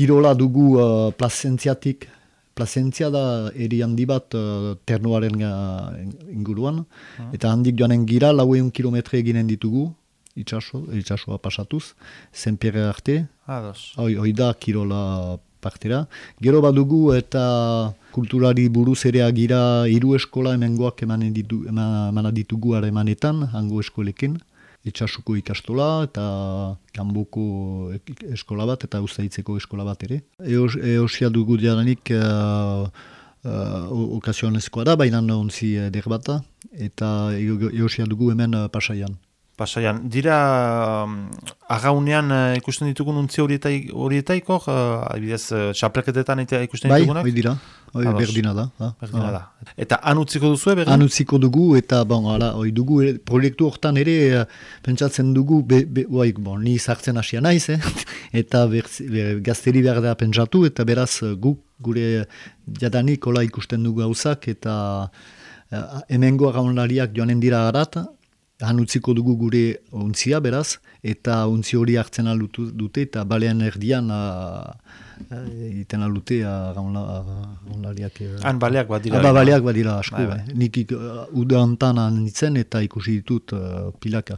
kirola dugu Plazentziatik. Plazentzia da eri handi bat ternoaren inguruan, eta handik joanen gira 400 kilometre eginen ditugu, itxasoa pasatuz, Zenpierre arte, hoi da kirola partera. Gero badugu eta kulturari buruz ere agira 3 eskola hemengoak emana ditugu harremanetan, hango eskolekin. Itxasuko ikastola eta kanboko eskola bat eta Uztaitzeko eskola bat ere. Eosia dugu diadanik okazionezkoa da, baina ontzi eder bat da, eta eosia dugu hemen Pasaian. Pasaian. Dira, agaunean ikusten ditugun untzi horietaiko, adibidez, txapelketetan ikusten ditugunak? Bai, dira. Berdina da. Berdina da. Eta han utziko duzu, berdin? Han utziko dugu, eta dugu, proiektu hortan ere, pentsatzen dugu, ni sartzen hasia naiz, eta gazteri behar da pentsatu, eta beraz gure jadanik hola ikusten dugu gauzak, eta hemengo agaunlariak joanen dira harat, han utziko dugu gure untzia, beraz, eta untzi hori hartzen dute, eta balean erdian iten aldute gaunlariak. Han baleak bat dira. Baleak bat dira asko. Nik uda hontan nintzen eta ikusi ditut pilaka.